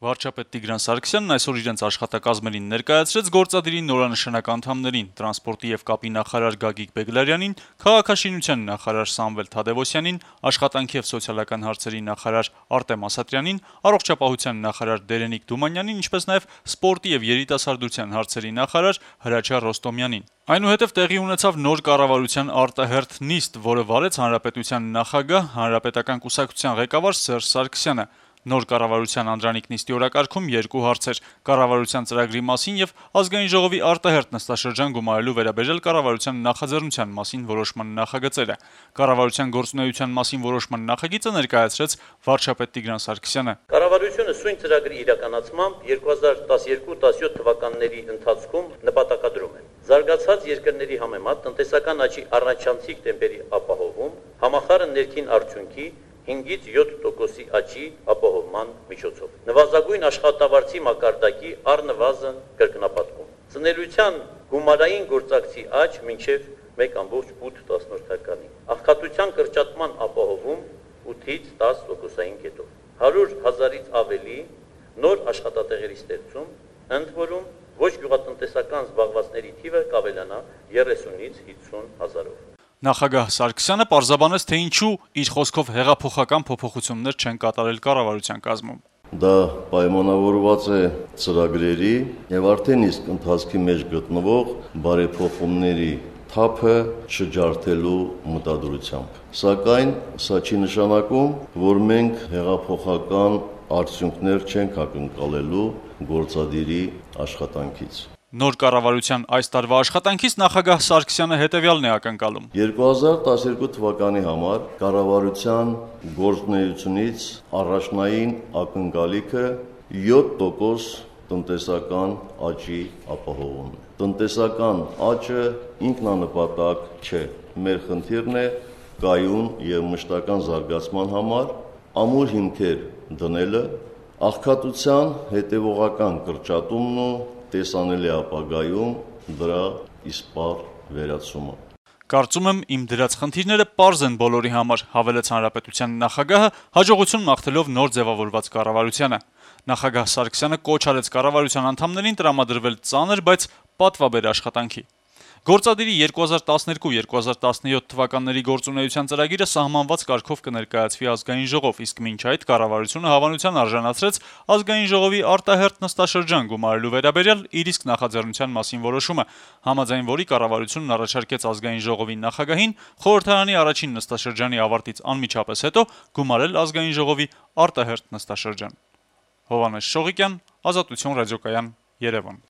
Վարչապետ Տիգրան Սարգսյանն այսօր իրենց աշխատակազմերին ներկայացրեց գործադիրի նորանշանակ անդամներին՝ տրանսպորտի եւ կապի նախարար Գագիկ Բեգլարյանին, քաղաքաշինության նախարար Սամվել Թադեւոսյանին, աշխատանքի եւ սոցիալական հարցերի նախարար Արտեմ Ասատրյանին, առողջապահության նախարար Դերենիկ Դումանյանին, ինչպես նաեւ սպորտի եւ երիտասարդության հարցերի նախարար Հրաչյա Ռոստոմյանին։ Այնուհետև տեղի ունեցավ նոր կառավարության արտահերթ նիստ, որը վարեց հանրապետության նախագահ, հանրապետական կուսակցության ղեկավար Սերժ Սարգսյանը։ Նոր կառավարության անդրանիկ նիստի օրակարգում երկու հարցեր՝ կառավարության ծրագրի մասին եւ Ազգային ժողովի արտահերթ նստաշրջան գումարելու վերաբերյալ կառավարության նախաձեռնության մասին որոշման նախագծերը։ Կառավարության գործունեության մասին որոշման նախագիծը ներկայացրեց վարչապետ Տիգրան Սարգսյանը։ Կառավարությունը սույն ծրագրի իրականացմամբ 2012-17 թվականների ընթացքում նպատակադրում է զարգացած երկրների համեմատ տնտեսական աճի առնչանցիկ տեմպերի ապահովում, համախառն ներքին արդյունքի 5-ից 7% աճի ապահովման միջոցով։ Նվազագույն աշխատավարձի մակարդակի առնվազն կրկնապատկում։ Ծնելիության գումարային գործակցի աճ մինչև 1.8%։ Աղքատության կրճատման ապահովում 8-ից 10%-ային կետով։ 100,000-ից ավելի նոր աշխատատեղերի ստեղծում, ընդ որում ոչ գյուղատնտեսական զբաղվածների թիվը կավելանա 30-ից 50,000-ով։ Նախագահ Սարգսյանը պարզաբանեց, թե ինչու իր խոսքով հեղափոխական փոփոխություններ չեն կատարել կառավարության կազմում։ Դա պայմանավորված է ծրագրերի եւ արդեն իսկ ընթացքի մեջ գտնվող բարեփոխումների թափը չջարդելու մտադրությամբ։ Սակայն սա չի նշանակում, որ մենք հեղափոխական արդյունքներ չենք ակնկալելու գործադիրի աշխատանքից։ Նոր կառավարության այս տարվա աշխատանքից նախագահ Սարգսյանը հետևյալն է ակնկալում. 2012 թվականի համար կառավարության գործունեությունից առաջնային ակնկալիքը 7% տնտեսական աճի ապահովումն է։ Տնտեսական աճը ինքնանպատակ չէ։ Մեր խնդիրն է կայուն եւ մշտական զարգացման համար ամուր հիմքեր դնելը, աղքատության հետևողական կրճատումն ու տեսանելի ապագայում դրա իսպառ վերացումը։ Կարծում եմ, իմ դրած խնդիրները պարզ են բոլորի համար, հավելեց հանրապետության նախագահը, հաջողություն մաղթելով նոր ձևավորված կառավարությանը։ Նախագահ Սարգսյանը կոչ արեց կառավարության անդամներին տրամադրվել ծանր, բայց պատվաբեր աշխատանքի։ Գործադիրի 2012-2017 թվականների գործունեության ծրագիրը սահմանված կարգով կներկայացվի Ազգային ժողով, իսկ մինչ այդ կառավարությունը հավանության արժանացրեց Ազգային ժողովի արտահերթ նստաշրջան գումարելու վերաբերյալ իր իսկ նախաձեռնության մասին որոշումը, համաձայն որի կառավարությունն առաջարկեց Ազգային ժողովի նախագահին խորհրդարանի առաջին նստաշրջանի ավարտից անմիջապես հետո գումարել Ազգային ժողովի արտահերթ նստաշրջան։ Հովհաննես Շողիկյան, Ազատություն ռադիոկայան, Երևան։